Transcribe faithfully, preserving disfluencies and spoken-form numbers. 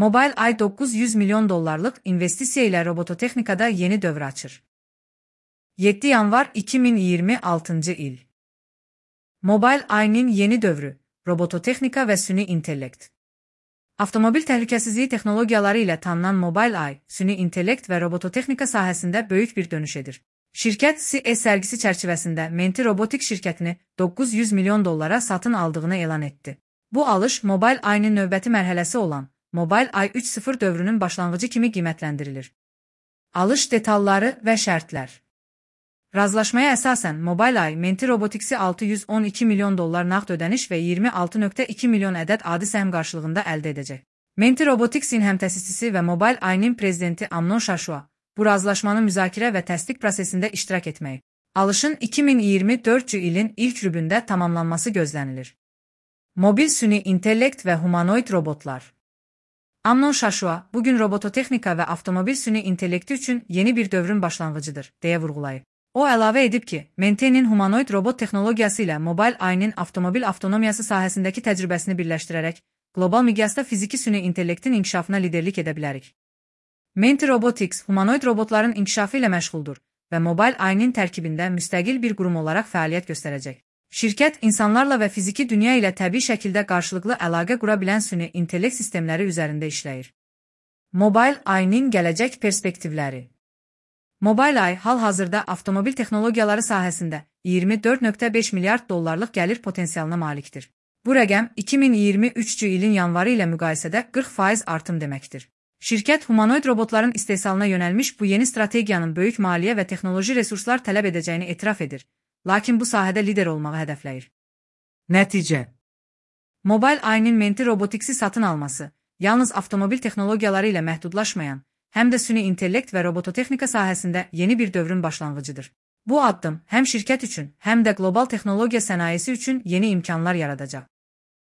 Mobileye dokuz yüz milyon dollarlıq investisiya ilə robototexnikada yeni dövr açır. yeddi yanvar iki min iyirmi altıncı il. Mobileye'nin yeni dövrü, robototexnika və süni intellekt. Avtomobil təhlükəsizliyi texnologiyaları ilə tanınan Mobileye, süni intellekt və robototexnika sahəsində böyük bir dönüş edir. Şirkət C E sərgisi çərçivəsində Menti Robotics şirkətini dokuz yüz milyon dollara satın aldığını elan etdi. Bu alış Mobileye'nin növbəti mərhələsi olan Mobileye üç nöqtə sıfır dövrünün başlanğıcı kimi qiymətləndirilir. Alış detalları və şərtlər. Razılaşmaya əsasən Mobileye Menti Robotics'i altı yüz on iki milyon dollar nağd ödəniş və iyirmi altı nöqtə iki milyon ədəd adi səhm qarşılığında əldə edəcək. Menti Robotics'in həmtəsisçisi və Mobileye'nin prezidenti Amnon Şaşua bu razılaşmanın müzakirə və təsdiq prosesində iştirak etməyi. Alışın iki min iyirmi dördüncü ilin ilk rübündə tamamlanması gözlənilir. Mobil süni intellekt və humanoid robotlar. Amnon Şaşua, bugün robototexnika və avtomobil süni intellekti üçün yeni bir dövrün başlanğıcıdır, deyə vurğulayıb. O əlavə edib ki, Menti'nin humanoid robot texnologiyası ilə Mobileye'nin avtomobil avtonomiyası sahəsindəki təcrübəsini birləşdirərək, qlobal miqyasda fiziki süni intellektin inkişafına liderlik edə bilərik. Menti Robotics, humanoid robotların inkişafı ilə məşğuldur və Mobileye'nin tərkibində müstəqil bir qurum olaraq fəaliyyət göstərəcək. Şirkət, insanlarla və fiziki dünya ilə təbii şəkildə qarşılıqlı əlaqə qura bilən süni intellekt sistemləri üzərində işləyir. Mobileye'nin gələcək perspektivləri. Mobileye hal-hazırda avtomobil texnologiyaları sahəsində iyirmi dörd nöqtə beş milyard dollarlıq gəlir potensialına malikdir. Bu rəqəm iki min iyirmi üçüncü ilin yanvarı ilə müqayisədə qırx faiz artım deməkdir. Şirkət, humanoid robotların istehsalına yönəlmiş bu yeni strategiyanın böyük maliyyə və texnoloji resurslar tələb edəcəyini etiraf edir, lakin bu sahədə lider olmağı hədəfləyir. Nəticə. Mobileye'nin Menti Robotics'i satın alması, yalnız avtomobil texnologiyaları ilə məhdudlaşmayan, həm də süni intellekt və robototexnika sahəsində yeni bir dövrün başlanğıcıdır. Bu addım həm şirkət üçün, həm də qlobal texnologiya sənayesi üçün yeni imkanlar yaradacaq.